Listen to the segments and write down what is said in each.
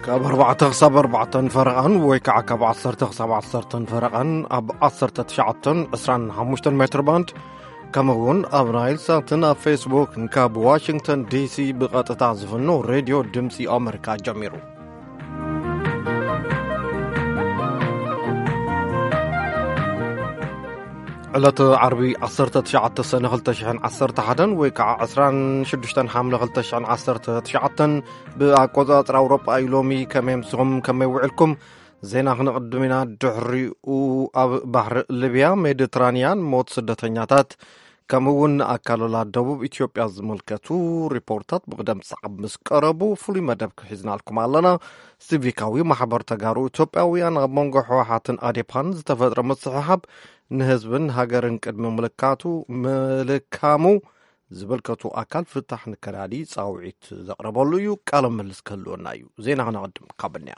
ካብ ኣርባዕተ ክሳብ ኣርባዕተን ፈረቓን ወይ ከዓ ካብ ዓሰርተ ክሳብ ዓሰርተን ፈረቓን ኣብ ዓሰርተ ትሽዓተን ዕስራን ሓሙሽተን ሜትር ባንድ፣ ከምኡ እውን ኣብ ናይል ሳትን ኣብ ፌስቡክን ካብ ዋሽንግተን ዲሲ ብቐጥታ ዝፍኖ ሬድዮ ድምፂ ኣመሪካ ጀሚሩ። ዕለተ ዓርቢ ዓሰርተ ትሽዓተ ሰነ ክልተ ሽሕን ዓሰርተ ሓደን ወይ ከዓ ዕስራን ሽዱሽተን ሓምለ ክልተ ሽሕን ዓሰርተ ትሽዓተን ብኣቆጻጽራ ኣውሮጳ እዩ። ሎሚ ከመይ ምስኹም፣ ከመይ ውዕልኩም? ዜና ክነቕድም ኢና። ድሕሪኡ ኣብ ባሕሪ ሊብያ ሜዲትራንያን ሞት ስደተኛታት ከምኡ እውን ኣካሎላ ደቡብ ኢትዮጵያ ዝምልከቱ ሪፖርታት ብቕደም ሰዓብ ምስ ቀረቡ ፍሉይ መደብ ክሒዝናልኩም ኣለና። ሲቪካዊ ማሕበር ተጋሩ ኢትዮጵያውያን ኣብ መንጎ ህወሓትን ኣዴፓን ዝተፈጥረ ምስሕሓብ ንህዝብን ሃገርን ቅድሚ ምልካቱ ምልካሙ ዝምልከቱ ኣካል ፍታሕ ንከዳዲ ጻውዒት ዘቕረበሉ እዩ። ቃለ ምልልስ ክህልወና እዩ። ዜና ክነቐድም ካብ እንያ።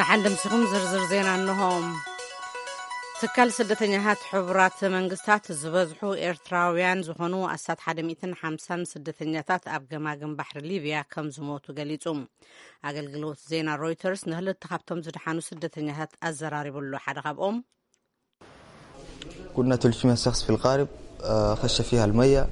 ደሓን ደምሲኹም ዝርዝር ዜና እንሆ። ትካል ስደተኛታት ሕቡራት መንግስታት ዝበዝሑ ኤርትራውያን ዝኾኑ ኣስታት ሓደ ሚእትን ሓምሳን ስደተኛታት ኣብ ገማግም ባሕሪ ሊብያ ከም ዝሞቱ ገሊጹ። ኣገልግሎት ዜና ሮይተርስ ንክልተ ካብቶም ዝደሓኑ ስደተኛታት ኣዘራሪቡ ኣሎ። ሓደ ካብኦም كنا ثلاثمية شخص في القارب، آه، خش فيها المية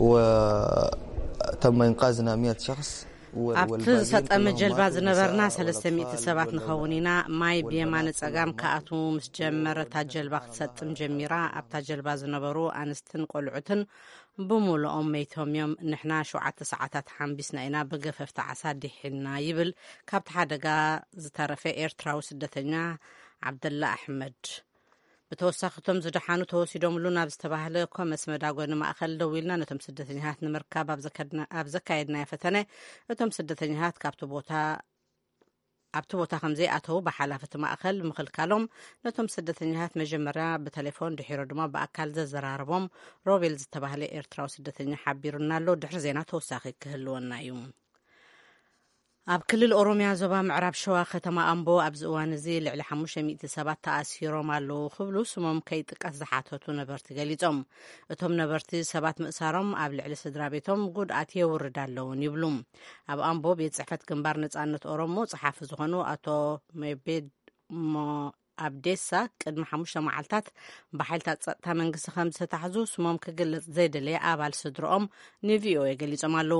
وتم إنقاذنا مية شخص. و- ኣብቲ والباقيين ዝሰጠመ كلهم ጀልባ ماتوا ዝነበርና بالنساء ሰለስተ ሚእቲ والأطفال ሰባት ንኸውን ኢና። ማይ والبنات ብየማነ ጸጋም كلهم ክኣትዉ ምስ ጀመረ፣ እታ ጀልባ ክትሰጥም ጀሚራ። ኣብታ ጀልባ ዝነበሩ ኣንስትን ቆልዑትን ብምሉኦም መይቶም እዮም። ንሕና ሸውዓተ ሰዓታት ሓምቢስና ኢና፣ ብገፈፍቲ ዓሳ ዲሒና፣ ይብል ካብቲ ሓደጋ ዝተረፈ ኤርትራዊ ስደተኛ ዓብደላ ኣሕመድ። ብተወሳኺ፣ እቶም ዝደሓኑ ተወሲዶምሉ ናብ ዝተባህለ ኮመስ መዳጎኒ ማእኸል ደዊልና ነቶም ስደተኛታት ንምርካብ ኣብ ዘከድና- ኣብ ዘካየድናዮ ፈተነ፣ እቶም ስደተኛታት ካብቲ ቦታ ኣብቲ ቦታ ከም ዘይኣተዉ ብሓላፊ እቲ ማእኸል ምኽልካሎም፣ ነቶም ስደተኛታት መጀመርያ ብተሌፎን፣ ድሒሩ ድማ ብኣካል ዘዘራረቦም ሮቤል ዝተባህለ ኤርትራዊ ስደተኛ ሓቢሩና ኣሎ። ድሕሪ ዜና ተወሳኺ ክህልወና እዩ። ኣብ ክልል ኦሮምያ ዞባ ምዕራብ ሸዋ ከተማ ኣምቦ ኣብዚ እዋን እዚ ልዕሊ ሓሙሽተ ሚእቲ ሰባት ተኣሲሮም ኣለዉ ክብሉ ስሞም ከይጥቀስ ዝሓተቱ ነበርቲ ገሊጾም። እቶም ነበርቲ ሰባት ምእሳሮም ኣብ ልዕሊ ስድራ ቤቶም ጉድኣት የውርድ ኣለውን ይብሉ። ኣብ ኣምቦ ቤት ጽሕፈት ግንባር ነጻነት ኦሮሞ ጸሓፊ ዝኾኑ ኣቶ ሜቤድ ሞ- ኣብዴሳ ቅድሚ ሓሙሽተ መዓልታት ብሓይልታት ጸጥታ መንግስቲ ከም ዝተታሕዙ ስሞም ክግለጽ ዘይደለየ ኣባል ስድርኦም ንቪኦኤ ገሊጾም ኣለዉ።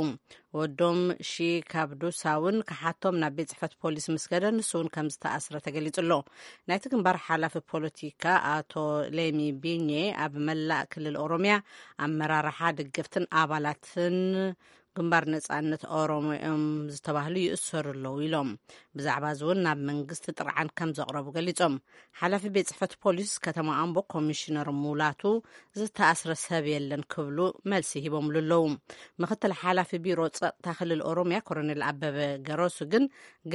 ወዶም ሺ ካብዱሳ እውን ክሓቶም ናብ ቤት ጽሕፈት ፖሊስ ምስ ከደ፣ ንሱ እውን ከም ዝተኣስረ ተገሊጹ ኣሎ። ናይቲ ግንባር ሓላፊ ፖለቲካ ኣቶ ሌሚ ቢኜ፣ ኣብ መላእ ክልል ኦሮምያ ኣመራርሓ፣ ደገፍትን ኣባላትን ግንባር ነጻነት ኦሮሞ እዮም ዝተባህሉ ይእሰሩ ኣለዉ ኢሎም። ብዛዕባ እዚ እውን ናብ መንግስቲ ጥርዓን ከም ዘቕረቡ ገሊጾም። ሓላፊ ቤት ጽሕፈት ፖሊስ ከተማ ኣምቦ ኮሚሽነር ሙላቱ ዝተኣስረ ሰብ የለን ክብሉ መልሲ ሂቦምሉ ኣለዉ። ምክትል ሓላፊ ቢሮ ጸጥታ ክልል ኦሮምያ ኮሎኔል ኣበበ ገረሱ ግን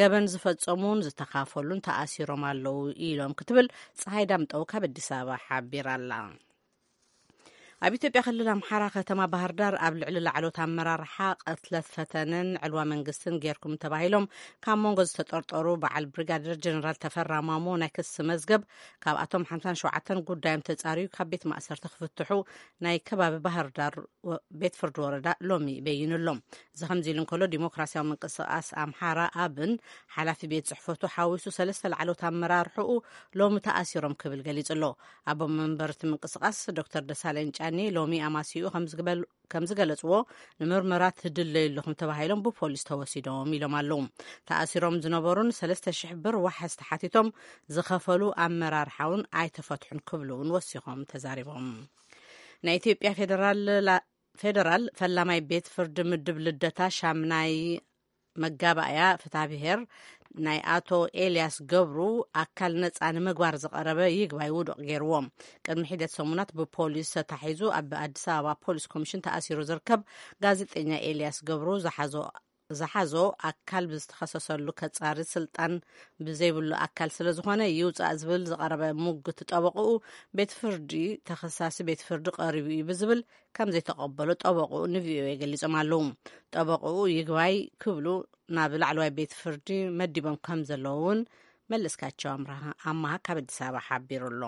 ገበን ዝፈጸሙን ዝተኻፈሉን ተኣሲሮም ኣለዉ ኢሎም ክትብል ፀሃይ ዳምጠው ካብ ኣዲስ ኣበባ ሓቢራ ኣላ። ኣብ ኢትዮጵያ ክልል ኣምሓራ ከተማ ባህር ዳር ኣብ ልዕሊ ላዕሎት ኣመራርሓ ቅትለት ፈተነን ዕልዋ መንግስትን ጌርኩም ተባሂሎም ካብ መንጎ ዝተጠርጠሩ በዓል ብሪጋደር ጀነራል ተፈራ ማሞ ናይ ክሲ መዝገብ፣ ካብኣቶም ሓምሳን ሸውዓተን ጉዳዮም ተጻርዩ ካብ ቤት ማእሰርቲ ክፍትሑ ናይ ከባቢ ባህር ዳር ወ- ቤት ፍርዲ ወረዳ ሎሚ በይኑ ኣሎ። እዚ ከምዚ ኢሉ እንከሎ፣ ዲሞክራሲያዊ ምንቅስቃስ ኣምሓራ ኣብን ሓላፊ ቤት ጽሕፈቱ ሓዊሱ ሰለስተ ላዕሎት ኣመራርሕኡ ሎሚ ተኣሲሮም ክብል ገሊጹ ኣሎ። ኣቦ መንበር እቲ ምንቅስቃስ ዶክተር ደሳለኝ ጫኔ ሎሚ ኣማሲኡ ከም ዝግበል- ከም ዝገለጽዎ፣ ንምርመራ ትድለዩ ኣለኹም ተባሂሎም ብፖሊስ ተወሲዶም ኢሎም ኣለዉ። ተኣሲሮም ዝነበሩን ሰለስተ ሽሕ ብር ዋሕስ ተሓቲቶም ዝኸፈሉ ኣመራርሓ እውን ኣይተፈትሑን ክብሉ እውን ወሲኾም ተዛሪቦም። ናይ ኢትዮጵያ ፌደራል ላ- ፌደራል ፈላማይ ቤት ፍርዲ ምድብ ልደታ ሻምናይ መጋባእያ ፍትሐ ብሔር ናይ ኣቶ ኤልያስ ገብሩ ኣካል ነጻ ንምግባር ዝቐረበ ይግባይ ውዱቕ ገይርዎ። ቅድሚ ሒደት ሰሙናት ብፖሊስ ተታሒዙ ኣብ ኣዲስ ኣበባ ፖሊስ ኮሚሽን ተኣሲሩ ዝርከብ ጋዜጠኛ ኤልያስ ገብሩ ዝሓዞ ዝሓዞ ኣካል ብዝተኸሰሰሉ ከጻሪ ስልጣን ብዘይብሉ ኣካል ስለ ዝኾነ ይውጻእ ዝብል ዝቐረበ ሙግት ጠበቕኡ ቤት ፍርዲ ተኸሳሲ ቤት ፍርዲ ቀሪቡ እዩ ብዝብል ከም ዘይተቐበሎ ጠበቕኡ ንቪኦኤ ገሊጾም ኣለዉ። ጠበቕኡ ይግባይ ክብሉ ናብ ላዕለዋይ ቤት ፍርዲ መዲቦም ከም ዘለዉ እውን መለስካቸው ኣምራሃ- ኣማሃ ካብ ኣዲስ ኣበባ ሓቢሩ ኣሎ።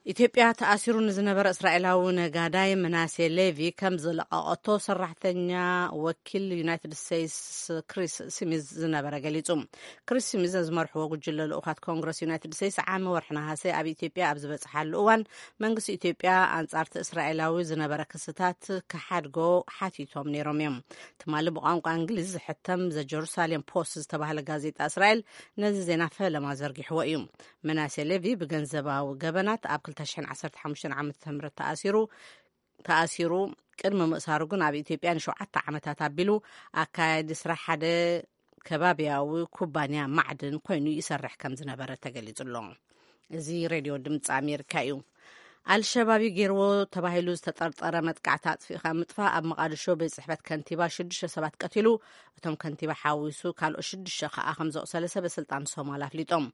ኢትዮጵያ ተኣሲሩ ንዝነበረ እስራኤላዊ ነጋዳይ ምናሴ ሌቪ ከም ዝለቐቐቶ ሰራሕተኛ ወኪል ዩናይትድ ስቴትስ ክሪስ ስሚዝ ዝነበረ ገሊጹ። ክሪስ ስሚዝ ዝመርሕዎ ጉጅለ ልኡኻት ኮንግረስ ዩናይትድ ስቴትስ ዓሚ ወርሒ ነሃሰ ኣብ ኢትዮጵያ ኣብ ዝበጽሓሉ እዋን፣ መንግስቲ ኢትዮጵያ ኣንጻርቲ እስራኤላዊ ዝነበረ ክስታት ክሓድጎ ሓቲቶም ነይሮም እዮም። ትማሊ ብቋንቋ እንግሊዝ ዝሕተም ዘ ጀሩሳሌም ፖስት ዝተባህለ ጋዜጣ እስራኤል ነዚ ዜና ፈለማ ዘርጊሕዎ እዩ። ምናሴ ሌቪ ብገንዘባዊ ገበናት ኣብ ክልተ ሽሕን ዓሰርተ ሓሙሽተን ዓመተ ምህረት ተኣሲሩ ተኣሲሩ፣ ቅድሚ ምእሳሩ ግን ኣብ ኢትዮጵያ ንሸውዓተ ዓመታት ኣቢሉ ኣካያዲ ስራሕ ሓደ ከባቢያዊ ኩባንያ ማዕድን ኮይኑ ይሰርሕ ከም ዝነበረ ተገሊጹ ኣሎ። እዚ ሬድዮ ድምፂ ኣሜሪካ እዩ። ኣልሸባብ ገይርዎ ተባሂሉ ዝተጠርጠረ መጥቃዕቲ ኣጥፊእካ ምጥፋእ ኣብ መቓድሾ ቤት ጽሕፈት ከንቲባ ሽዱሽተ ሰባት ቀቲሉ፣ እቶም ከንቲባ ሓዊሱ ካልኦት ሽዱሽተ ከኣ ከም ዘቑሰለ ሰበ ስልጣን ሶማል ኣፍሊጦም።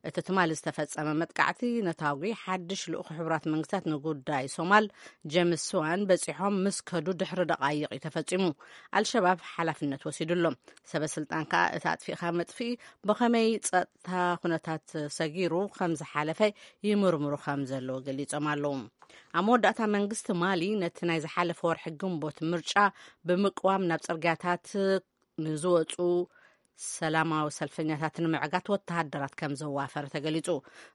እቲ ትማሊ ዝተፈጸመ መጥቃዕቲ ነታጒ ሓድሽ ልኡኽ ሕቡራት መንግስታት ንጉዳይ ሶማል ጀምስ ስዋን በጺሖም ምስ ከዱ ድሕሪ ደቓይቕ እዩ ተፈጺሙ። ኣልሸባብ ሓላፍነት ወሲዱ ኣሎ። ሰበ ስልጣን ከኣ እቲ ኣጥፊእካ መጥፍኢ ብኸመይ ጸጥታ ኩነታት ሰጊሩ ከም ዝሓለፈ ይምርምሩ ከም ዘለዎ ገሊጾም ኣለዉ። ኣብ መወዳእታ መንግስቲ ማሊ ነቲ ናይ ዝሓለፈ ወርሒ ግንቦት ምርጫ ብምቅዋም ናብ ጽርግያታት ንዝወጹ ሰላማዊ ሰልፈኛታት ንምዕጋት ወተሃደራት ከም ዘዋፈረ ተገሊጹ።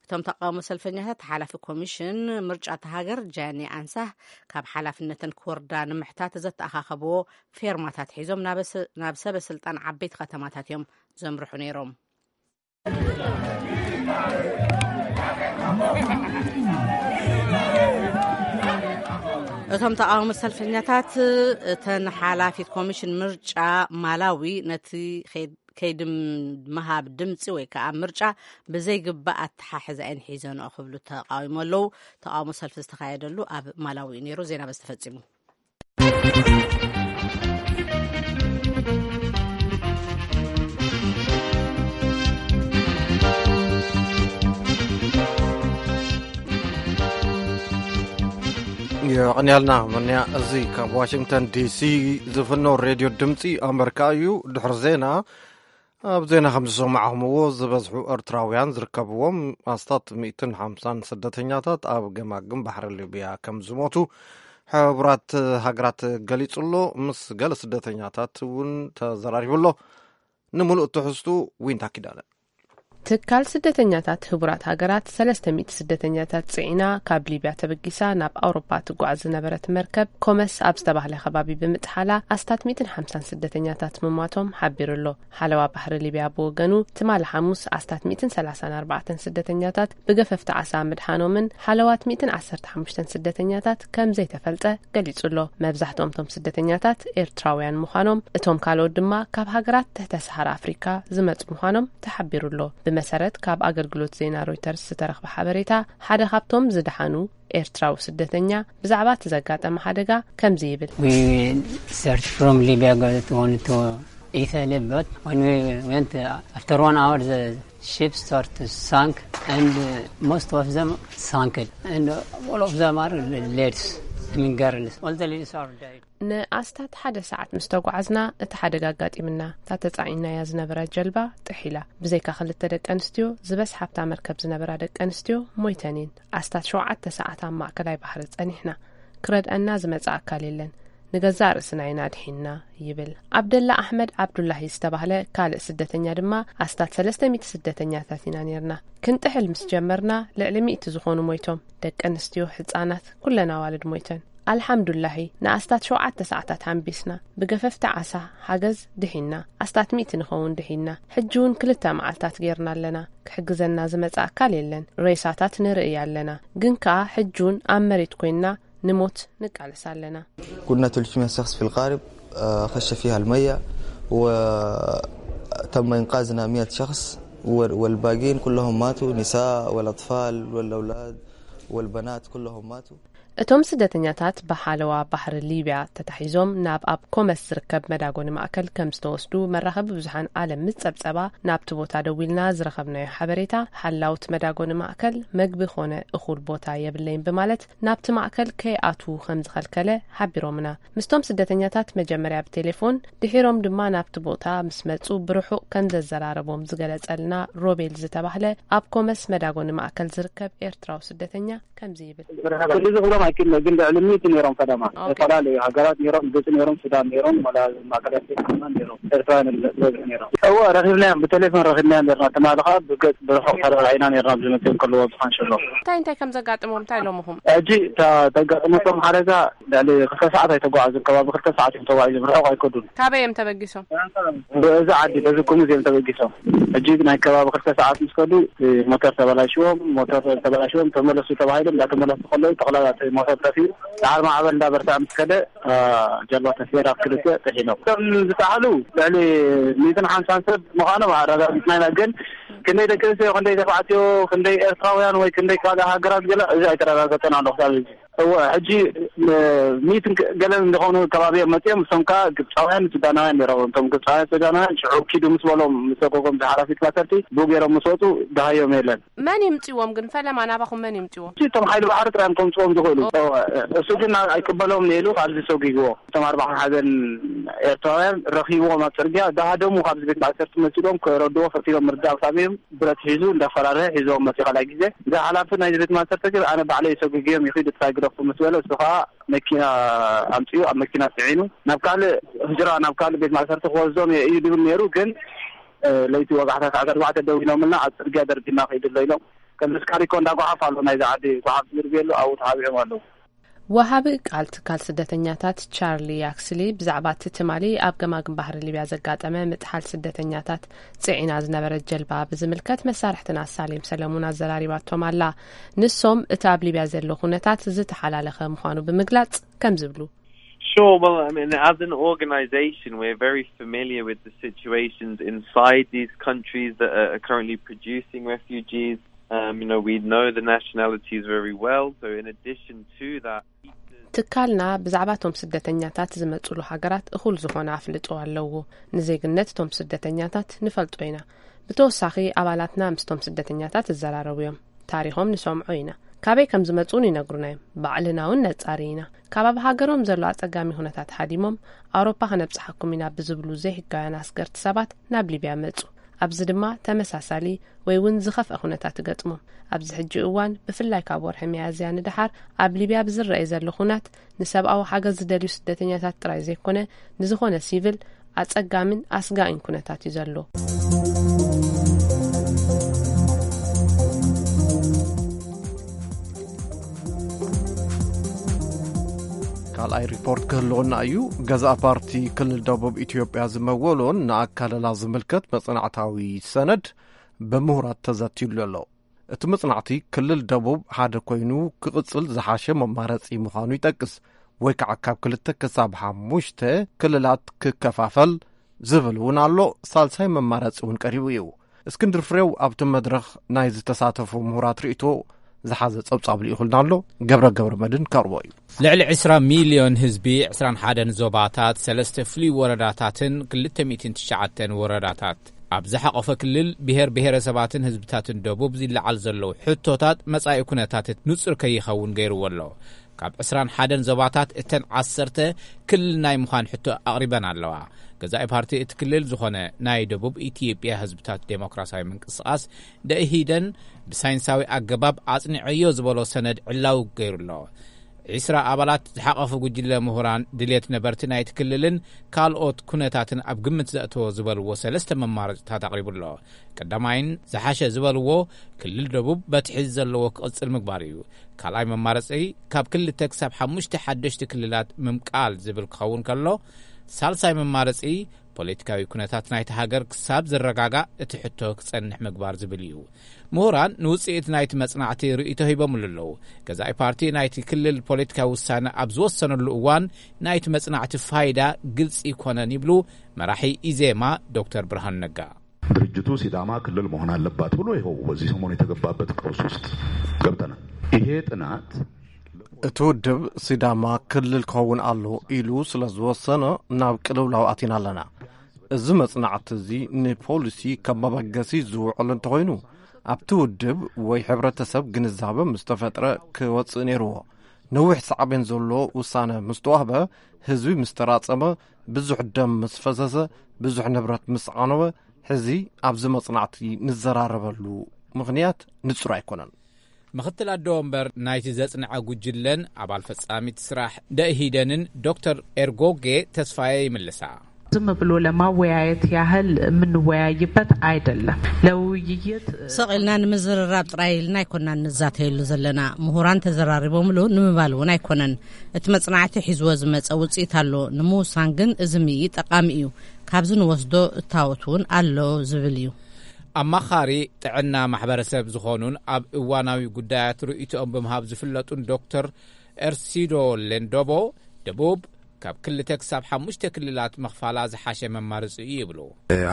እቶም ተቃውሞ ሰልፈኛታት ሓላፊ ኮሚሽን ምርጫ እታ ሃገር ጃኒ ኣንሳህ ካብ ሓላፍነተን ክወርዳ ንምሕታት ዘተኣኻኸብዎ ፌርማታት ሒዞም ናብ ሰ-፣ ናብ ሰበ ስልጣን ዓበይቲ ከተማታት እዮም ዘምርሑ ነይሮም። እቶም ተቃውሞ ሰልፈኛታት እተን ሓላፊት ኮሚሽን ምርጫ ማላዊ ነቲ ከይድ-፣ ከይዲ ምሃብ ድምፂ ወይ ከዓ ምርጫ ብዘይግባእ ኣተሓሕዛ እየን ሒዘንኦ ክብሉ ተቃዊሞ ኣለዉ። ተቃውሞ ሰልፊ ዝተካየደሉ ኣብ ማላዊ እዩ ነይሩ። ዜና በዚ ተፈፂሙ። የቐንያልና መንያ። እዚ ካብ ዋሽንግተን ዲሲ ዝፍኖ ሬድዮ ድምፂ ኣመሪካ እዩ። ድሕሪ ዜና፣ ኣብ ዜና ከም ዝሰማዕኹምዎ፣ ዝበዝሑ ኤርትራውያን ዝርከብዎም ኣስታት ሚእትን ሓምሳን ስደተኛታት ኣብ ገማግም ባሕሪ ሊብያ ከም ዝሞቱ ሕቡራት ሃገራት ገሊጹ ኣሎ። ምስ ገለ ስደተኛታት እውን ተዘራሪቡ ኣሎ። ንምሉእ ትሕዝቱ ዊንታ ኪዳነ። ትካል ስደተኛታት ህቡራት ሃገራት ሰለስተ ሚእቲ ስደተኛታት ጽዒና ካብ ሊብያ ተበጊሳ ናብ ኣውሮፓ ትጓዓዝ ዝነበረት መርከብ ኮመስ ኣብ ዝተባህለ ከባቢ ብምጥሓላ ኣስታት ሚእትን ሓምሳን ስደተኛታት ምሟቶም ሓቢሩ ኣሎ። ሓለዋ ባሕሪ ሊብያ ብወገኑ ትማሊ ሓሙስ ኣስታት ሚእትን ሰላሳን ኣርባዕተን ስደተኛታት ብገፈፍቲ ዓሳ ምድሓኖምን ሓለዋት ሚእትን ዓሰርተ ሓሙሽተን ስደተኛታት ከም ዘይተፈልጠ ገሊጹ ኣሎ። መብዛሕትኦም እቶም ስደተኛታት ኤርትራውያን ምዃኖም፣ እቶም ካልኦት ድማ ካብ ሃገራት ትሕተ ሰሃራ ኣፍሪካ ዝመጹ ምዃኖም ተሓቢሩ ኣሎ። ብመሰረት ካብ ኣገልግሎት ዜና ሮይተርስ ዝተረኽበ ሓበሬታ፣ ሓደ ካብቶም ዝደሓኑ ኤርትራዊ ስደተኛ ብዛዕባ እቲ ዘጋጠመ ሓደጋ ከምዚ ይብል። We search from Libya, got one to Italy, but when we went, uh, after one hour, the ship start to sink, and, uh, most of them sank, and, uh, all of them are ladies, I mean girls. All the ladies are dead. ንኣስታት ሓደ ሰዓት ምስ ተጓዓዝና እቲ ሓደጋ ኣጋጢምና። እታ ተጻዒናያ ዝነበረ ጀልባ ጥሒላ። ብዘይካ ክልተ ደቂ ኣንስትዮ፣ ዝበዝሓ ኣብታ መርከብ ዝነበራ ደቂ ኣንስትዮ ሞይተን እየን። ኣስታት ሸውዓተ ሰዓት ኣብ ማእከላይ ባሕሪ ጸኒሕና። ክረድኣና ዝመጽእ ኣካል የለን። ንገዛእ ርእስና ኢና ድሒንና፣ ይብል። ኣብደላ ኣሕመድ ዓብዱላሂ ዝተባህለ ካልእ ስደተኛ ድማ፣ ኣስታት ሰለስተ ሚእቲ ስደተኛታት ኢና ኔርና። ክንጥሕል ምስ ጀመርና፣ ልዕሊ ሚእቲ ዝኾኑ ሞይቶም። ደቂ ኣንስትዮ፣ ህጻናት፣ ኩለን ኣዋልድ ሞይተን። ኣልሓምዱላሂ፣ ንኣስታት ሸውዓተ ሰዓታት ሓንቢስና። ብገፈፍቲ ዓሳ ሓገዝ ድሒንና። ኣስታት ሚእቲ ንኸውን ድሒንና። ሕጂ እውን ክልተ መዓልታት ጌርና ኣለና። ክሕግዘና ዝመጽእ ኣካል የለን። ሬሳታት ንርኢ ኣለና። ግን ከኣ ሕጂ እውን ኣብ መሬት ኮይንና ንሞት ንቃለስ ኣለና። كنا ثلاثمية شخص في القارب، آه، خش فيها المية، وتم إنقاذنا مية شخص، و-، والباقيين كلهم ماتوا، نساء والأطفال والأولاد والبنات كلهم ماتوا. እቶም ስደተኛታት ብሓለዋ ባሕሪ ሊብያ ተታሒዞም ናብ ኣብ ኮመስ ዝርከብ መዳጎኒ ማእከል ከም ዝተወስዱ መራኸቢ ብዙሓን ዓለም ምስ ጸብጸባ፣ ናብቲ ቦታ ደዊልና ዝረኸብናዮ ሓበሬታ፣ ሓላውቲ መዳጎኒ ማእከል መግቢ ኾነ እኹል ቦታ የብለይን ብማለት ናብቲ ማእከል ከይኣትዉ ከም ዝኸልከለ ሓቢሮምና። ምስቶም ስደተኛታት መጀመርያ ብቴሌፎን፣ ድሒሮም ድማ ናብቲ ቦታ ምስ መጹ ብርሑቕ ከም ዘዘራረቦም ዝገለጸልና ሮቤል ዝተባህለ ኣብ ኮመስ መዳጎኒ ማእከል ዝርከብ ኤርትራዊ ስደተኛ ከምዚ ይብል። ክንዲ ዝኽሎም ኣይክእልን፣ ግን ልዕሊ ሚእቲ ነይሮም ፈለማ። ኦኬ። ዝተፈላለዩ ሃገራት ነይሮም፣ ግብጺ ነይሮም፣ ሱዳን ነይሮም፣ ወላ ማእከላይ ኣፍሪቃ ነይሮም፣ ኤርትራውያን ዝበዝሑ ነይሮም። እወ፣ ረኺብናዮም፣ ብቴሌፎን ረኺብናዮም ነርና። ትማሊ ኸኣ ብገጽ ብርሑቕ ተረኣኢና ነርና፣ ዝመጽኦም ከለዉ ኣብ ዝኻንሸሎ። እንታይ እንታይ ከም ዘጋጥሞም እንታይ ኢሎምኹም? ሕጂ እታ ተጋጥመቶም ሓደጋ ልዕሊ ክልተ ሰዓት ኣይተጓዓዙን፣ ከባቢ ክልተ ሰዓት እዮም ተጓዒዞም፣ ርሑቕ ኣይከዱን። ካበይ እዮም ተበጊሶም? በዚ ዓዲ፣ በዚ ኩሙዝ እዮም ተበጊሶም። ሕጂ ናይ ከባቢ ክልተ ሰዓት ምስ ከዱ፣ እቲ ሞተር ተበላሽዎም፣ ሞተር ተበላሽዎም ተመለሱ ተባሂሎም፣ እንዳተመለሱ ከለዉ ጠቕላላ እቲ ሞተር ጠፊኡ፣ ደሓር ማዕበል እንዳበርትዐ ምስ ከደ፣ ጀልባ ተሰይራ ክልተ ጥሒኖም። እቶም ዝጠሓሉ ልዕሊ ሚእትን ሓምሳን ሰብ ምዃኖም ኣረጋጊጽና ኢና፣ ግን ክንደይ ደቂ ኣንስትዮ፣ ክንደይ ተባዕትዮ፣ ክንደይ ኤርትራውያን ወይ ክንደይ ካልእ ሃገራት ገለ፣ እዚ ኣይተረጋገጸን ኣሎ ክሳብ ሕጂ። እወ፣ ሕጂ፣ እ፣ ሚእትን ገለን ዝኾኑ ከባቢ እዮም መጺኦም። እሶም ከኣ ግብጻውያን፣ ሱዳናውያን ነይሮም። እቶም ግብጻውያን፣ ሱዳናውያን ሽዑ ኪዱ ምስ በሎም፣ ምስ ሰጎጎም፣ ዝሓላፊት ባሰርቲ ብኡ ገይሮም ምስ ወጹ፣ ደሃዮም የለን። መን ይምጽዎም ግን? ፈለማ ናባኹም መን ይምጽዎም? እቶም ሓይሊ ባሕሪ ጥራይ እዮም ከምጽዎም ዝኽእሉ። እወ፣ እሱ ግን ኣይቅበሎም ነይሩ፣ ካብዚ ሰጒግዎ። እቶም ኣርባዓ ሓዘን ኤርትራውያን ረኺብዎም ኣብ ጽርግያ፣ ደሃደሙ ካብዚ ቤት ማእሰርቲ መጺኦም፣ ክረድዎ ፈቲኖም ምርዳእ ክሳብ እዮም ብረት ሒዙ እንዳፈራርሀ ሒዝዎም መጺኡ ካልኣይ ግዜ። እዚ ሓላፊ ናይዚ ቤት ማእሰርቲ ግን ኣነ ባዕለይ ሰጒግዮም ይኺዱ ጥራይ ግደፉ ምስ በለ፣ እሱ ኸኣ መኪና ኣምጺኡ ኣብ መኪና ጽዒኑ ናብ ካልእ ህጅራ፣ ናብ ካልእ ቤት ማእሰርቲ ክወስዶም እየ እዩ ድብል ነይሩ። ግን፣ እ፣ ለይቲ ወጋሕታ ሰዓት ኣርባዕተ ደዊሎምልና ኣብ ጽርግያ ደርቢና ከይዱ ኣሎ ኢሎም። ከም ተስካሪኮ እንዳጓሓፍ ኣሎ ናይዚ ዓዲ ጓሓፍ ዝድርብየሉ ኣብኡ ተሓቢኦም ኣለዉ። ወሃቢ ቃል ትካል ስደተኛታት ቻርሊ ያክስሊ ብዛዕባ እቲ ትማሊ ኣብ ገማግም ባሕሪ ሊብያ ዘጋጠመ ምጥሓል ስደተኛታት ጽዒና ዝነበረት ጀልባ ብዝምልከት መሳርሕትና ሳሌም ሰለሙን ኣዘራሪባቶም ኣላ። ንሶም እቲ ኣብ ሊብያ ዘሎ ኩነታት ዝተሓላለኸ ምዃኑ ብምግላጽ ከም ዝብሉ። Sure, well, I mean, as an organization, we're very familiar with the situations inside these countries that are, are currently producing refugees. Um, you know, we know the nationalities very well. So, in addition to that, ትካልና ብዛዕባ እቶም ስደተኛታት ዝመጹሉ ሃገራት እኹል ዝኾነ ኣፍልጦ ኣለዎ። ንዜግነት እቶም ስደተኛታት ንፈልጦ ኢና። ብተወሳኺ ኣባላትና ምስቶም ስደተኛታት ይዘራረቡ እዮም። ታሪኾም ንሰምዖ ኢና። ካበይ ከም ዝመጹ እውን ይነግሩና እዮም። ባዕልና እውን ነጻሪ ኢና። ካብ ኣብ ሃገሮም ዘሎ ኣጸጋሚ ኩነታት ሃዲሞም ኣውሮፓ ከነብጽሓኩም ኢና ብዝብሉ ዘይሕጋውያን ኣስገርቲ ሰባት ናብ ሊብያ መጹ። ኣብዚ ድማ ተመሳሳሊ ወይ እውን ዝኸፍአ ኩነታት ይገጥሞም። ኣብዚ ሕጂ እዋን፣ ብፍላይ ካብ ወርሒ ሚያዝያ ንደሓር፣ ኣብ ሊብያ ብዝረኣይ ዘሎ ኩናት፣ ንሰብኣዊ ሓገዝ ዝደልዩ ስደተኛታት ጥራይ ዘይኮነ፣ ንዝኾነ ሲቪል ኣጸጋምን ኣስጋኢን ኩነታት እዩ ዘሎ። ካልኣይ ሪፖርት ክህልወና እዩ። ገዛእ ፓርቲ ክልል ደቡብ ኢትዮጵያ ዝመወሎን ንኣካለላ ዝምልከት መጽናዕታዊ ሰነድ ብምሁራት ተዘትዩሉ ኣሎ። እቲ መጽናዕቲ ክልል ደቡብ ሓደ ኮይኑ ክቕጽል ዝሓሸ መማረጺ ምዃኑ ይጠቅስ፣ ወይ ከዓ ካብ ክልተ ክሳብ ሓሙሽተ ክልላት ክከፋፈል ዝብል እውን ኣሎ። ሳልሳይ መማረጺ እውን ቀሪቡ እዩ። እስክንድር ፍሬው ኣብቲ መድረኽ ናይ ዝተሳተፉ ምሁራት ርእይቶ ዝሓዘ ጸብጻብ ልኢኹልና ኣሎ። ገብረ ገብረ መድን ከቕርቦ እዩ። ልዕሊ ዕስራ ሚልዮን ህዝቢ፣ ዕስራን ሓደን ዞባታት፣ ሰለስተ ፍሉይ ወረዳታትን ክልተ ሚእትን ትሽዓተን ወረዳታት ኣብ ዝሓቖፈ ክልል፣ ብሄር ብሄረሰባትን ህዝብታትን ደቡብ ዝለዓል ዘለዉ ሕቶታት መጻኢ ኩነታት ንጹር ከይኸውን ገይርዎ ኣሎ። ካብ ዕስራን ሓደን ዞባታት እተን ዓሰርተ ክልል ናይ ምዃን ሕቶ ኣቕሪበን ኣለዋ። ገዛኢ ፓርቲ እቲ ክልል ዝኾነ ናይ ደቡብ ኢትዮጵያ ህዝብታት ዴሞክራሲያዊ ምንቅስቓስ፣ ደኢህዴን፣ ብሳይንሳዊ ኣገባብ ኣጽኒዐዮ ዝበሎ ሰነድ ዕላዊ ገይሩ ኣሎ። ዒስራ ኣባላት ዝሓቐፉ ጉጅለ ምሁራን፣ ድልየት ነበርቲ ናይቲ ክልልን ካልኦት ኩነታትን ኣብ ግምት ዘእተወ ዝበልዎ ሰለስተ መማረፅታት ኣቕሪቡ ኣሎ። ቀዳማይን ዝሓሸ ዝበልዎ፣ ክልል ደቡብ በቲ ሕዚ ዘለዎ ክቕፅል ምግባር እዩ። ካልኣይ መማረፂ፣ ካብ ክልተ ክሳብ ሓሙሽተ ሓደሽቲ ክልላት ምምቃል ዝብል ክኸውን ከሎ፣ ሳልሳይ መማረፂ፣ ፖለቲካዊ ኩነታት ናይቲ ሃገር ክሳብ ዝረጋጋእ እቲ ሕቶ ክጸንሕ ምግባር ዝብል እዩ። ምሁራን ንውጽኢት ናይቲ መጽናዕቲ ርእይቶ ሂቦምሉ ኣለዉ። ገዛኢ ፓርቲ ናይቲ ክልል ፖለቲካዊ ውሳነ ኣብ ዝወሰነሉ እዋን፣ ናይቲ መጽናዕቲ ፋይዳ ግልጺ ኣይኮነን ይብሉ መራሒ ኢዜማ ዶክተር ብርሃኑ ነጋ። ድርጅቱ ሲዳማ ክልል መሆን ኣለባት ብሎ ይኸው በዚህ ሰሞን የተገባበት ቀውስ ውስጥ ገብተናል። ይሄ ጥናት እቲ ውድብ ሲዳማ ክልል ክኸውን ኣሎ ኢሉ ስለ ዝወሰነ ናብ ቅልውላው ኣቲና ኣለና። እዚ መጽናዕቲ እዚ ንፖሊሲ ከም መበገሲ ዝውዕል እንተኾይኑ፣ ኣብቲ ውድብ ወይ ሕብረተሰብ ግንዛበ ምስ ተፈጥረ ክወጽእ ነይርዎ። ነዊሕ ሳዕቤን ዘሎ ውሳነ ምስ ተዋህበ፣ ህዝቢ ምስ ተራጸመ፣ ብዙሕ ደም ምስ ፈሰሰ፣ ብዙሕ ንብረት ምስ ዓነወ፣ ሕዚ ኣብዚ መጽናዕቲ ንዘራረበሉ ምኽንያት ንጹር ኣይኮነን። ምኽትል ኣደ ወንበር ናይቲ ዘጽንዐ ጉጅለን ኣባል ፈጻሚት ስራሕ ደኢህዴንን ዶክተር ኤርጎጌ ተስፋዬ ይምልሳ። ዝም ብሎ ለማወያየት ያህል የምንወያይበት አይደለም። ለውይይት ሰቕ ኢልና ንምዝርራብ ጥራይ ኢልና ኣይኮናን ንዛተየሉ ዘለና። ምሁራን ተዘራሪቦምሉ ንምባል እውን ኣይኮነን። እቲ መጽናዕቲ ሒዝዎ ዝመጸ ውጽኢት ኣሎ። ንምውሳን ግን እዚ ምኢ ጠቓሚ እዩ። ካብዚ ንወስዶ እታወት እውን ኣሎ ዝብል እዩ። ኣማኻሪ ጥዕና ማሕበረሰብ ዝኾኑን ኣብ እዋናዊ ጉዳያት ርእይቶኦም ብምሃብ ዝፍለጡን ዶክተር ኤርሲዶ ሌንዶቦ፣ ደቡብ ካብ ክልተ ክሳብ ሓሙሽተ ክልላት ምኽፋላ ዝሓሸ መማረፂ እዩ ይብሉ።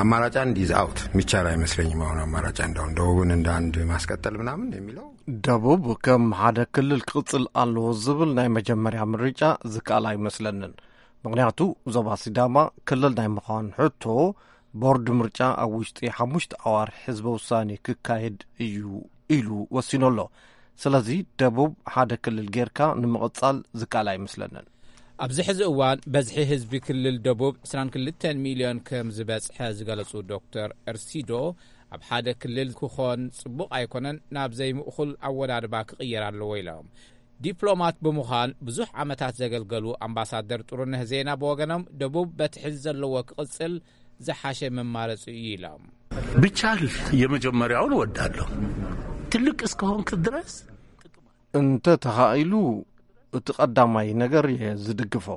አማራጭ አንድ is out፣ የሚቻል አይመስለኝም። አሁን አማራጭ አንድ፣ አሁን ደቡብን እንደ አንድ ማስቀጠል ምናምን የሚለው ደቡብ ከም ሓደ ክልል ክቕጽል ኣለዎ ዝብል ናይ መጀመርያ ምርጫ ዝከኣል ኣይመስለንን። ምኽንያቱ ዞባ ሲዳማ ክልል ናይ ምዃን ሕቶ ቦርድ ምርጫ ኣብ ውሽጢ ሓሙሽተ ኣዋርሕ ህዝበ ውሳኔ ክካየድ እዩ ኢሉ ወሲኑ ኣሎ። ስለዚ ደቡብ ሓደ ክልል ጌርካ ንምቕጻል ዝከኣል ኣይመስለንን። ኣብዚ ሕዚ እዋን በዝሒ ህዝቢ ክልል ደቡብ ዕስራን ክልተን ሚልዮን ከም ዝበጽሐ ዝገለጹ ዶክተር ኤርሲዶ፣ ኣብ ሓደ ክልል ክኾን ጽቡቕ ኣይኮነን፣ ናብ ዘይምእኹል ኣወዳድባ ክቕየር ኣለዎ ኢሎም። ዲፕሎማት ብምዃን ብዙሕ ዓመታት ዘገልገሉ ኣምባሳደር ጥሩነህ ዜና ብወገኖም፣ ደቡብ በቲ ሕዚ ዘለዎ ክቕጽል ዝሓሸ መማረፂ እዩ ኢሎም። ብቻል የመጀመሪያውን እወዳለሁ። ትልቅ እስከሆንክ ድረስ እንተ ተኻኢሉ እቲ ቀዳማይ ነገር እየ ዝድግፎ።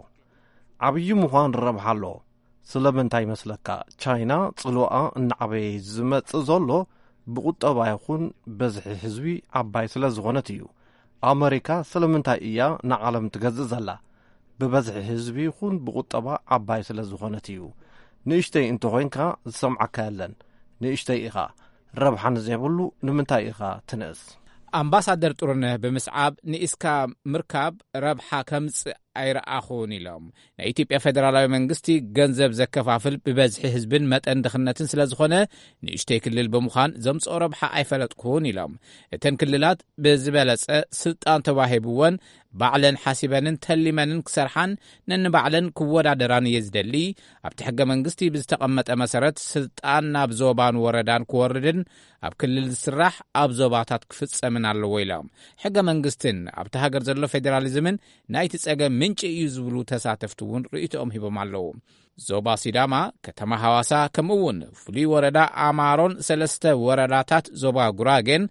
ዓብዪ ምዃን ረብሓ ኣለዎ። ስለምንታይ ይመስለካ? ቻይና ጽልዋኣ እናዓበየ ዝመጽእ ዘሎ ብቁጠባ ይኹን በዝሒ ህዝቢ ዓባይ ስለ ዝኾነት እዩ። ኣመሪካ ስለምንታይ እያ ንዓለም ትገዝእ ዘላ? ብበዝሒ ህዝቢ ይኹን ብቁጠባ ዓባይ ስለ ዝኾነት እዩ። ንእሽተይ እንተኾይንካ ዝሰምዓካ የለን። ንእሽተይ ኢኻ። ረብሓ ንዘይብሉ ንምንታይ ኢኻ ትንእስ? ኣምባሳደር ጥሩነህ ብምስዓብ፣ ንኢስካ ምርካብ ረብሓ ከምጽእ ኣይረኣኹን ኢሎም። ናይ ኢትዮጵያ ፌደራላዊ መንግስቲ ገንዘብ ዘከፋፍል ብበዝሒ ህዝብን መጠን ድኽነትን ስለ ዝኾነ፣ ንእሽተይ ክልል ብምዃን ዘምጽኦ ረብሓ ኣይፈለጥኩን ኢሎም። እተን ክልላት ብዝበለጸ ስልጣን ተዋሂብወን ባዕለን ሓሲበንን ተሊመንን ክሰርሓን ነንባዕለን ክወዳደራን እየ ዝደሊ። ኣብቲ ሕገ መንግስቲ ብዝተቐመጠ መሰረት ስልጣን ናብ ዞባን ወረዳን ክወርድን ኣብ ክልል ዝስራሕ ኣብ ዞባታት ክፍጸምን ኣለዎ ኢሎም። ሕገ መንግስትን ኣብቲ ሃገር ዘሎ ፌዴራሊዝምን ናይቲ ጸገም ምንጪ እዩ ዝብሉ ተሳተፍቲ እውን ርእይቶኦም ሂቦም ኣለዉ። ዞባ ሲዳማ፣ ከተማ ሃዋሳ፣ ከምኡ እውን ፍሉይ ወረዳ ኣማሮን ሰለስተ ወረዳታት ዞባ ጉራጌን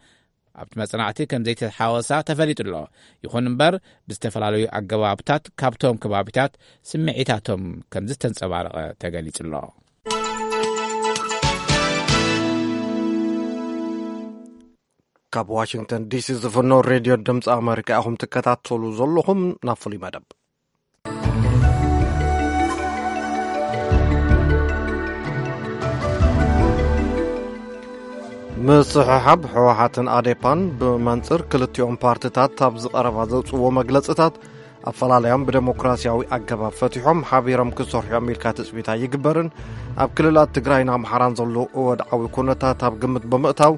ኣብቲ መጽናዕቲ ከም ዘይተሓወሳ ተፈሊጡ ኣሎ። ይኹን እምበር፣ ብዝተፈላለዩ ኣገባብታት ካብቶም ከባቢታት ስምዒታቶም ከም ዝተንጸባረቐ ተገሊጹ ኣሎ። ካብ ዋሽንግተን ዲሲ ዝፍኖ ሬድዮ ድምፂ ኣመሪካ ኢኹም ትከታተሉ ዘለኹም። ናብ ፍሉይ መደብ። ምስሕሓብ ህወሓትን ኣዴፓን ብመንፅር ክልቲኦም ፓርትታት ኣብዚ ቀረባ ዘውፅዎ መግለፅታት፣ ኣፈላላዮም ብደሞክራሲያዊ ኣገባብ ፈቲሖም ሓቢሮም ክሰርሑ እዮም ኢልካ ትፅቢት ኣይግበርን። ኣብ ክልላት ትግራይን ኣምሓራን ዘሎ ወድዓዊ ኩነታት ኣብ ግምት ብምእታው፣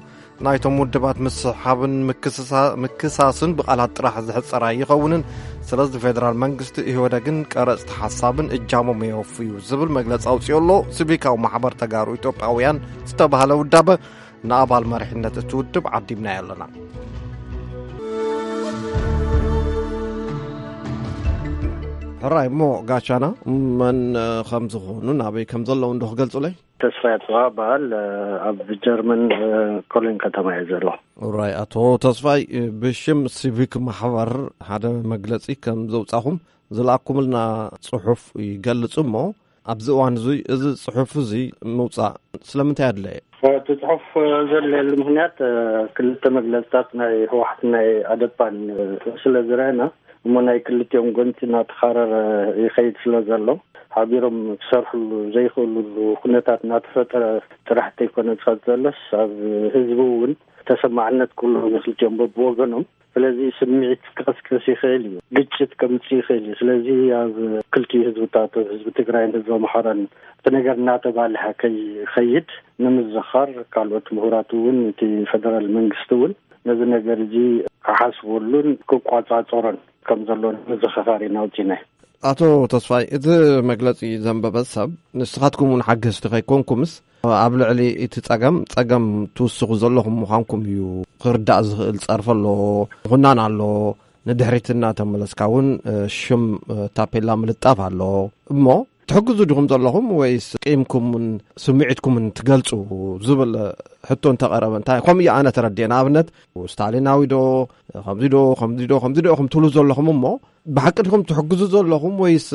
ናይቶም ውድባት ምስሕሓብን ምክስሳ-፣ ምክሳስን ብቓላት ጥራሕ ዝሕጸር ኣይኸውንን። ስለዚ ፌደራል መንግስቲ ኢህወደግን ቀረጽቲ ሓሳብን እጃሞም የወፍዩ ዝብል መግለጺ ኣውጺኡ ኣሎ። ሲቪካዊ ማሕበር ተጋሩ ኢትዮጵያውያን ዝተባህለ ውዳበ ንኣባል መሪሕነት እቲ ውድብ ዓዲምናዮ ኣለና። ሕራይ እሞ ጋሻና መን ከም ዝኾኑ ናበይ ከም ዘለዉ እንዶ ክገልጹለይ? ተስፋይ ኣጽብሃ እበሃል። ኣብ ጀርመን ኮሎኝ ከተማ እየ ዘለኹ። ራይ ኣቶ ተስፋይ፣ ብሽም ሲቪክ ማሕበር ሓደ መግለጺ ከም ዘውጻኹም ዝለኣኩምልና ጽሑፍ ይገልጽ እሞ፣ ኣብዚ እዋን እዙይ እዚ ጽሑፍ እዚ ምውጻእ ስለምንታይ ኣድለየ? እቲ ጽሑፍ ዘድለየሉ ምኽንያት፣ ክልተ መግለጽታት ናይ ህወሓትን ናይ ኣደፓን ስለ ዝረኣና፣ እሞ ናይ ክልቲኦም ጎንቲ እናተኻረረ ይኸይድ ስለ ዘሎ፣ ሓቢሮም ክሰርሕሉ ዘይኽእሉሉ ኩነታት እናተፈጠረ ጥራሕ እንተይኮነ ዝኸድ ዘሎስ፣ ኣብ ህዝቢ እውን ተሰማዕነት ክህልዎም ክልቲኦም በብወገኖም ስለዚ ስምዒት ክቕስቅስ ይኽእል እዩ፣ ግጭት ከምጽእ ይኽእል እዩ። ስለዚ ኣብ ክልቲኡ ህዝብታት፣ ህዝቢ ትግራይን ህዝቢ ኣምሓራን፣ እቲ ነገር እናተባልሐ ከይኸይድ ንምዝኻር፣ ካልኦት ምሁራት እውን፣ እቲ ፌደራል መንግስቲ እውን ነዚ ነገር እዚ ክሓስበሉን ክቋጻጸሮን ከም ዘሎ ንምዝኽኻር ኢና ኣውጺእናዮ። ኣቶ ተስፋይ፣ እቲ መግለጺ ዘንበበ ሰብ፣ ንስኻትኩም እውን ሓገዝቲ ከይኮንኩምስ፣ ኣብ ልዕሊ እቲ ጸገም፣ ጸገም ትውስኹ ዘለኹም ምዃንኩም እዩ ክርዳእ ዝኽእል። ጸርፊ ኣሎ፣ ምኹናን ኣሎ፣ ንድሕሪት እናተመለስካ እውን፣ እ፣ ሽም፣ እ፣ ታፔላ ምልጣፍ ኣሎ። እሞ ትሕግዙ ዲኹም ዘለኹም ወይስ ቂምኩምን ስምዒትኩምን ትገልጹ ዝብል ሕቶ እንተቐረበ፣ እንታይ ከምኡ እዩ ኣነ ተረዲኤ። ንኣብነት፣ ስታሊናዊ ዶ፣ ከምዚ ዶ፣ ከምዚ ዶ፣ ከምዚ ዶ ኢኹም ትብሉ ዘለኹም እሞ፣ ብሓቂ ዲኹም ትሕግዙ ዘለኹም ወይስ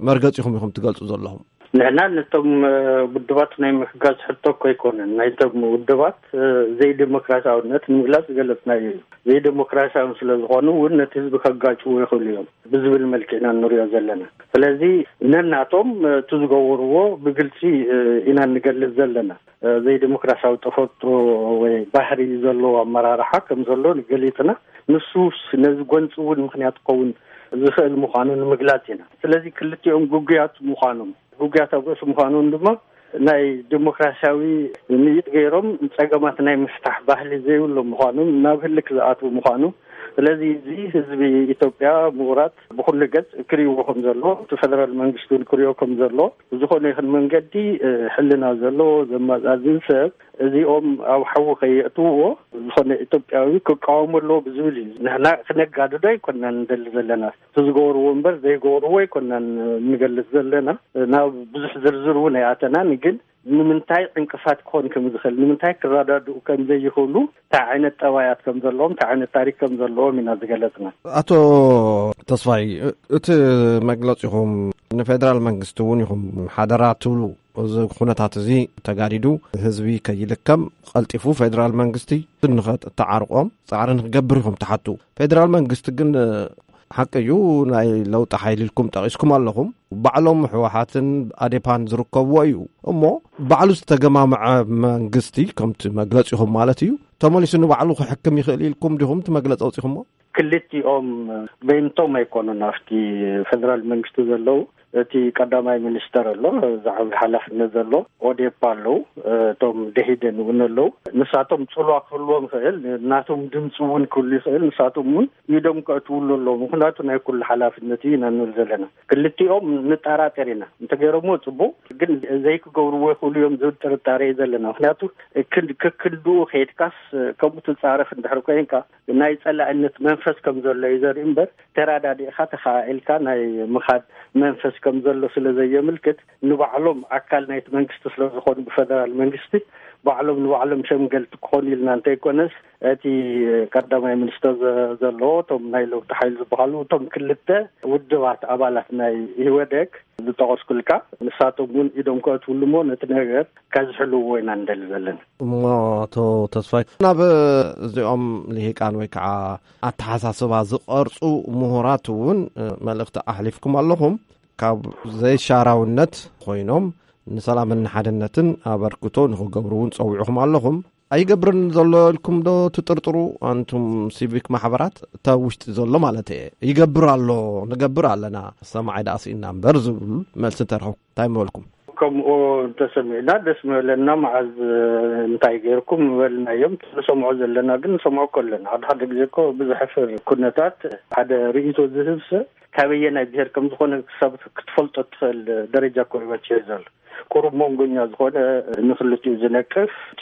መርገጺኹም ኢኹም ትገልጹ ዘለኹም? ንሕና ነቶም፣ እ፣ ውድባት ናይ ምሕጋዝ ሕቶ እኮ ኣይኮነን። ናይቶም ውድባት፣ እ፣ ዘይዲሞክራሲያውነት ንምግላጽ ዝገለጽናዮ እዩ። ዘይዲሞክራሲያውን ስለ ዝኾኑ እውን ነቲ ህዝቢ ከጋጭዎ ይኽእሉ እዮም ብዝብል መልክዕ ኢና ንሪኦ ዘለና። ስለዚ ነናቶም፣ እ፣ እቲ ዝገበርዎ ብግልጺ፣ እ፣ ኢና ንገልጽ ዘለና። እ፣ ዘይዲሞክራሲያዊ ተፈጥሮ ወይ ባህሪ ዘለዎ ኣመራርሓ ከም ዘሎ ገሊጽና፣ ንሱስ ነዚ ጎንጺ እውን ምኽንያት ክኸውን ዝኽእል ምዃኑ ንምግላጽ ኢና። ስለዚ ክልቲኦም ግጉያት ምዃኖም፣ ግጉያት ኣብ ርእሲ ምዃኖም ድማ ናይ ዲሞክራሲያዊ ምይጥ ገይሮም ጸገማት ናይ ምፍታሕ ባህሊ ዘይብሎም ምዃኖም፣ ናብ ህልክ ዝኣትዉ ምዃኑ። ስለዚ እዚ ህዝቢ ኢትዮጵያ፣ ምሁራት ብኹሉ ገጽ ክርእይዎ ከም ዘለዎ፣ እቲ ፌደራል መንግስቲ እውን ክርእዮ ከም ዘለዎ፣ ብዝኾነ ይኹን መንገዲ፣ እ፣ ሕልና ዘለዎ ዘመዛዝን ሰብ እዚኦም ኣብ ሓዊ ከየእትውዎ ዝኾነ ኢትዮጵያዊ ክቃወሞ ኣለዎ ብዝብል እዩ። ንሕና ክነጋድዶ ኣይኮናን ንደሊ ዘለና። እቲ ዝገብርዎ እምበር ዘይገብርዎ ኣይኮናን ንገልጽ ዘለና። ናብ ብዙሕ ዝርዝር እውን ኣይኣተናን፣ ግን ንምንታይ ዕንቅፋት ክኾን ከም ዝኽእል፣ ንምንታይ ክረዳድኡ ከም ዘይኽእሉ፣ እንታይ ዓይነት ጠባያት ከም ዘለዎም፣ እንታይ ዓይነት ታሪክ ከም ዘለዎም ኢና ዝገለጽና። ኣቶ ተስፋይ፣ እቲ መግለጺኹም ንፌደራል መንግስቲ እውን ይኹም ሓደራ ትብሉ፣ እዚ ኩነታት እዚ ተጋዲዱ ህዝቢ ከይልከም ቀልጢፉ ፌደራል መንግስቲ ንኸተዓርቆም ጻዕሪ ንክገብር ኢኹም ትሓቱ። ፌደራል መንግስቲ ግን ሓቂ እዩ፣ ናይ ለውጢ ሓይሊ ኢልኩም ጠቒስኩም ኣለኹም። ባዕሎም ህወሓትን ኣዴፓን ዝርከብዎ እዩ። እሞ ባዕሉ ዝተገማምዐ መንግስቲ፣ ከምቲ መግለጺኹም ማለት እዩ፣ ተመሊሱ ንባዕሉ ክሕክም ይኽእል ኢልኩም ዲኹም እቲ መግለጺ ኣውጺኹሞ? ክልቲኦም በይንቶም ኣይኮኑን ኣብቲ ፌደራል መንግስቲ ዘለዉ። እቲ ቀዳማይ ሚኒስተር ኣሎ፣ ዝዓቢ ሓላፍነት ዘሎ፣ ኦዴፓ ኣለዉ፣ እቶም ደሂደን እውን ኣለዉ። ንሳቶም ጽልዋ ክህልዎም ይኽእል፣ ናቶም ድምፂ እውን ክህሉ ይኽእል። ንሳቶም እውን ኢዶም ከእትውሉ ኣለዉ፣ ምኽንያቱ ናይ ኩሉ ሓላፍነት እዩ ኢና ንብል ዘለና። ክልቲኦም ንጠራጠር ኢና፣ እንተገይሮምዎ ጽቡቕ፣ ግን ዘይክገብርዎ ይኽእሉ እዮም ዝብል ጥርጣሬ እዩ ዘለና። ምኽንያቱ ክን-፣ ክክንድኡ ከይድካስ ከምኡ ትጻረፍ እንድሕር ኮይንካ፣ ናይ ጸላእነት መንፈስ ከም ዘሎ እዩ ዘርኢ እምበር፣ ተራዳዲእኻ ተኸኣኢልካ ናይ ምኻድ መንፈስ ከም ዘሎ ስለ ዘየምልክት፣ ንባዕሎም ኣካል ናይቲ መንግስቲ ስለ ዝኾኑ፣ ብፈደራል መንግስቲ ባዕሎም ንባዕሎም ሸምገልቲ ክኾኑ ኢልና እንተይኮነስ፣ እቲ ቀዳማይ ሚኒስተር ዘ-፣ ዘለዎ፣ እቶም ናይ ለውጢ ሓይሊ ዝበሃሉ፣ እቶም ክልተ ውድባት ኣባላት ናይ ኢህወደግ ዝጠቐስኩልካ፣ ንሳቶም እውን ኢዶም ከእትውሉ እሞ ነቲ ነገር ከዝሕልዎ ኢና ንደሊ ዘለና። እሞ ኣቶ ተስፋይ፣ ናብ እዚኦም ልሂቃን ወይ ከዓ ኣተሓሳስባ ዝቐርጹ ምሁራት እውን፣ እ፣ መልእኽቲ ኣሕሊፍኩም ኣለኹም። ካብ ዘይሻራውነት ኮይኖም ንሰላምን ንሓድነትን ኣበርክቶ ንኽገብሩ እውን ጸዊዕኹም ኣለኹም። ኣይገብርን ዘሎ ኢልኩም ዶ ትጥርጥሩ? ኣንቱም ሲቪክ ማሕበራት፣ እታ ውሽጢ ዘሎ ማለት እየ። ይገብር ኣሎ፣ ንገብር ኣለና፣ ሰማዓይ ደኣ ስኢና እምበር ዝብሉ መልሲ እንተረኸብኩም እንታይ ምበልኩም? ከምኡ እንተሰሚዕና ደስ ምበለና። መዓዝ እንታይ ገይርኩም ምበልናዮም። ንሰምዖ ዘለና ግን ንሰምዖ እኮ ኣለና። ሓደ ሓደ ግዜ እኮ ብዘሕፍር ኩነታት ሓደ ርእይቶ ዝህብ ሰብ ካበየናይ ብሄር ከም ዝኾነ ክሳብ ክትፈልጦ እትኽእል ደረጃ እኮ እዩ በጺሑ ዘሎ። ቁሩብ መንጎኛ ዝኾነ፣ ንክልቲኡ ዝነቅፍ፣ እቲ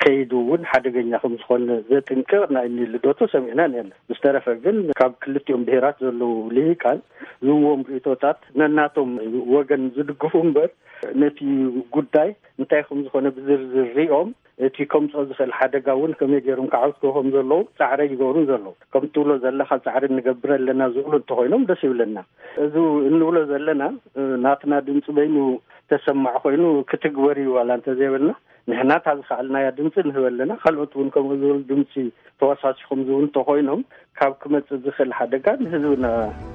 ከይዱ እውን ሓደገኛ ከም ዝኾነ ዘጥንቅቕ ናይ እኒ ልደቱ ሰሚዕና ነርና። ብዝተረፈ ግን ካብ ክልቲኦም ብሄራት ዘለዉ ልሂቃን ዝህብዎም ርእይቶታት ነናቶም ወገን ዝድግፉ እምበር፣ ነቲ ጉዳይ እንታይ ከም ዝኾነ ብዝርዝር ሪኦም፣ እቲ ከምፅኦ ዝኽእል ሓደጋ እውን ከመይ ገይሮም ክዓውትዎ ከም ዘለዉ ፃዕሪ ይገብሩን ዘለዉ። ከም ትብሎ ዘለኻ ፃዕሪ ንገብር ኣለና ዝብሉ እንተኾይኖም ደስ ይብለና። እዚ እንብሎ ዘለና፣ እ፣ ናትና ድምፂ በይኑ ተሰማዕ ኮይኑ ክትግበር እዩ ዋላ እንተዘይበልና፣ ንሕና እታ ዝኸኣልናያ ድምፂ ንህብ ኣለና። ካልኦት እውን ከምኡ ዝብል ድምፂ ተወሳሲኹም ዝብል እንተኾይኖም፣ ካብ ክመፅእ ዝኽእል ሓደጋ ንህዝብና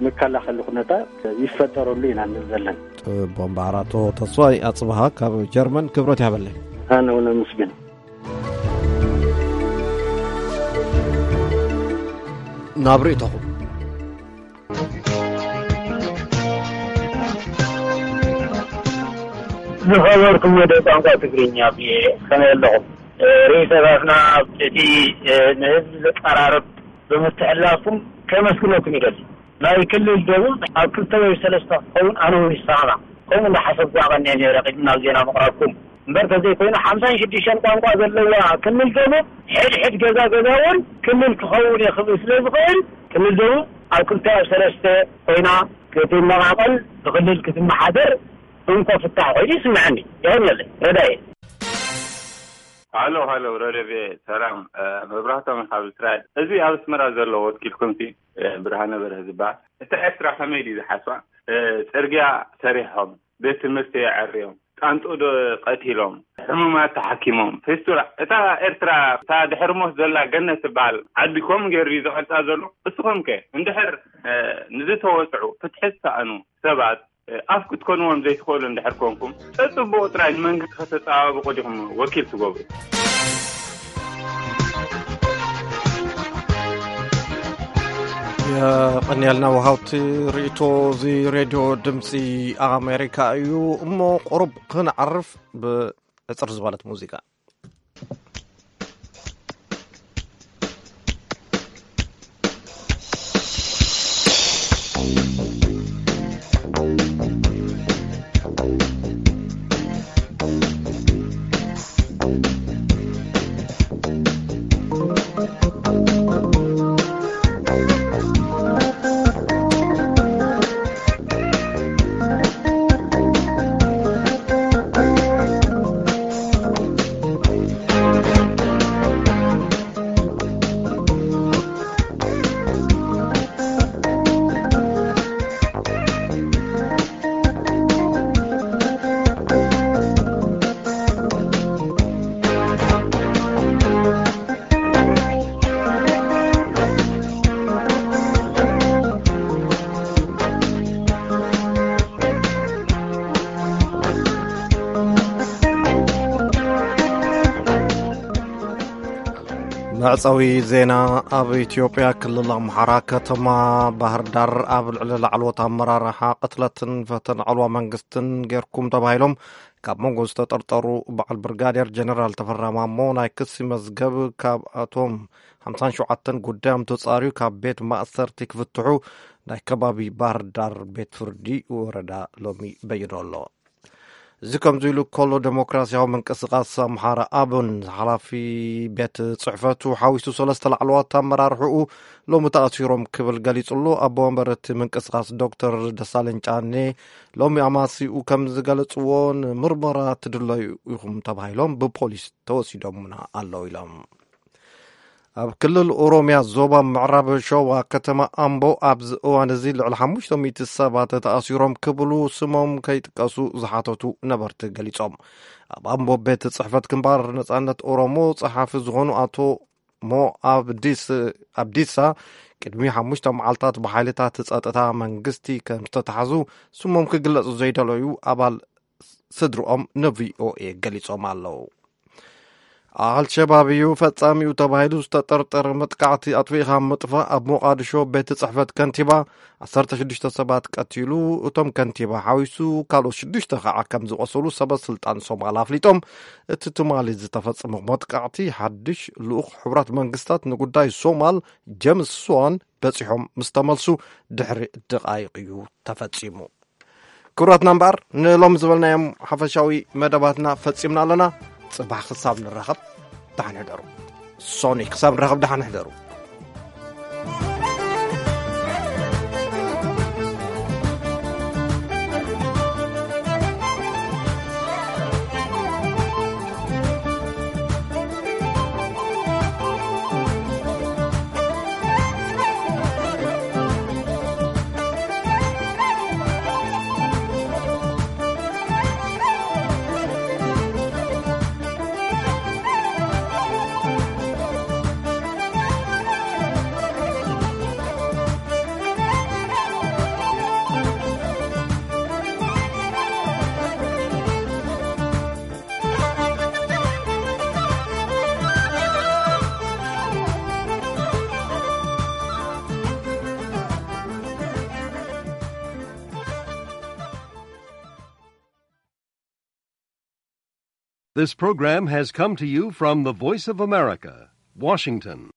መከላኸሊ ኩነታት ይፈጠረሉ ኢና ንብል ዘለና። ጽቡቕ እምበኣር፣ ኣቶ ተስፋይ ኣጽብሃ ካብ ጀርመን ክብረት ይሃበለይ። ኣነ እውን ኣመስግን። ናብ ርእይቶኹም። ዝኸበርኩም ወደ ቋንቋ ትግርኛ ብየ ከመይ ኣለኹም? ርእይቶታትና እቲ ንህዝቢ ዘቀራርብ ብምትሕልላፍኩም ከመስግነኩም ይደሊ። ናይ ክልል ደቡብ ኣብ ክልተ ወይ ሰለስተ ክኸውን ኣነ እውን ይሰማማዕ። ከምኡ እንዳሓሰብኩ ኣቐኒዐ ነይረ ቅድሚ ናብ ዜና ምቕራብኩም። እምበር ተዘይኮይኑ ሓምሳን ሽዱሽተን ቋንቋ ዘለዋ ክልል ደቡብ ሕድሕድ ገዛ ገዛ እውን ክልል ክኸውን እየ ክብል ስለ ዝኽእል ክልል ደቡብ ኣብ ክልተ ኣብ ሰለስተ ኮይና ክትመቓቐል ብክልል ክትመሓደር እንኮ ፍታሕ ኮይኑ ይስምዐኒ። ይኸን የለ ረዳየ። ሃሎ ሃሎ ረደቤ ሰላም። መብራህቶም ካብ እስራኤል። እዚ ኣብ ኣስመራ ዘሎ ወኪልኩም ሲ ብርሃነ በርሀ ዝበሃል። እታ ኤርትራ ከመይ ድዩ ዝሓስባ? ጽርግያ ሰሪሖም፣ ቤት ትምህርቲ የዐርዮም፣ ጣንጡ ዶ ቀቲሎም፣ ሕሙማት ተሓኪሞም፣ ፌስቱላ። እታ ኤርትራ እታ ድሕሪ ሞት ዘላ ገነት ትበሃል ዓዲ ከምኡ ገይሩ ድዩ ዝቐርጻ ዘሎ? እስኹም ከ እንድሕር ንዝተወጽዑ ፍትሒ ዝሰኣኑ ሰባት ኣፍ ክትኮንዎም ዘይትኽእሉ እንድሕር ኮንኩም፣ ጸጽብቑ ጥራይ ንመንግስቲ ከተጸባብቑ ዲኹም ወኪል ትገብሩ? የቐንየልና ወሃውቲ ርእይቶ። እዚ ሬድዮ ድምፂ ኣሜሪካ እዩ። እሞ ቁሩብ ክንዓርፍ ብዕፅር ዝበለት ሙዚቃ። መዕጸዊ ዜና። ኣብ ኢትዮጵያ ክልል ኣምሓራ ከተማ ባህር ዳር ኣብ ልዕሊ ላዕለዎት ኣመራርሓ ቅትለትን ፈተነ ዕልዋ መንግስትን ጌርኩም ተባሂሎም ካብ መንጎ ዝተጠርጠሩ በዓል ብርጋዴር ጀነራል ተፈራ ማሞ ናይ ክሲ መዝገብ ካብ ኣቶም ሓምሳን ሸውዓተን ጉዳዮም ተጻርዩ ካብ ቤት ማእሰርቲ ክፍትሑ ናይ ከባቢ ባህር ዳር ቤት ፍርዲ ወረዳ ሎሚ በይኑ ኣሎ። እዚ ከምዚ ኢሉ ከሎ ዴሞክራሲያዊ ምንቅስቃስ ኣምሓራ ኣብን ሓላፊ ቤት ጽሕፈቱ ሓዊሱ ሰለስተ ላዕለዋት ኣመራርሕኡ ሎሚ ተኣሲሮም ክብል ገሊጹ ኣሎ። ኣቦ ወንበር እቲ ምንቅስቃስ ዶክተር ደሳለኝ ጫኔ ሎሚ ኣማሲኡ ከም ዝገለጽዎ ንምርመራ ትድለዩ ኢኹም ተባሂሎም ብፖሊስ ተወሲዶምና ኣለዉ ኢሎም። ኣብ ክልል ኦሮምያ ዞባ ምዕራብ ሸዋ ከተማ ኣምቦ ኣብዚ እዋን እዚ ልዕሊ ሓሙሽተ ሚእቲ ሰባት ተኣሲሮም ክብሉ ስሞም ከይጥቀሱ ዝሓተቱ ነበርቲ ገሊጾም። ኣብ ኣምቦ ቤት ጽሕፈት ግንባር ነጻነት ኦሮሞ ጸሓፊ ዝኾኑ ኣቶ ሞ ኣብዲስ ኣብዲሳ ቅድሚ ሓሙሽተ መዓልታት ብሓይልታት ጸጥታ መንግስቲ ከም ዝተታሕዙ ስሞም ክግለጹ ዘይደለዩ ኣባል ስድርኦም ንቪኦኤ ገሊጾም ኣለዉ። ኣልሸባብ እዩ ፈጻሚኡ ተባሂሉ ዝተጠርጠረ መጥቃዕቲ ኣጥፊእኻ ምጥፋእ ኣብ ሞቓድሾ ቤት ጽሕፈት ከንቲባ ዓሰርተ ሽዱሽተ ሰባት ቀቲሉ። እቶም ከንቲባ ሓዊሱ ካልኦት ሽዱሽተ ከዓ ከም ዝቆሰሉ ሰበ ስልጣን ሶማል ኣፍሊጦም። እቲ ትማሊ ዝተፈጸመ መጥቃዕቲ ሓድሽ ልኡኽ ሕቡራት መንግስታት ንጉዳይ ሶማል ጀምስ ስዋን በጺሖም ምስ ተመልሱ ድሕሪ ደቓይቕ እዩ ተፈጺሙ። ክቡራትና እምበኣር ንሎሚ ዝበልናዮም ሓፈሻዊ መደባትና ፈጺምና ኣለና። ጽባሕ ክሳብ ንራኸብ ደሓን ሕደሩ። ሶኒ ክሳብ ንራኸብ ደሓን ሕደሩ። This program has come to you from the Voice of America, Washington.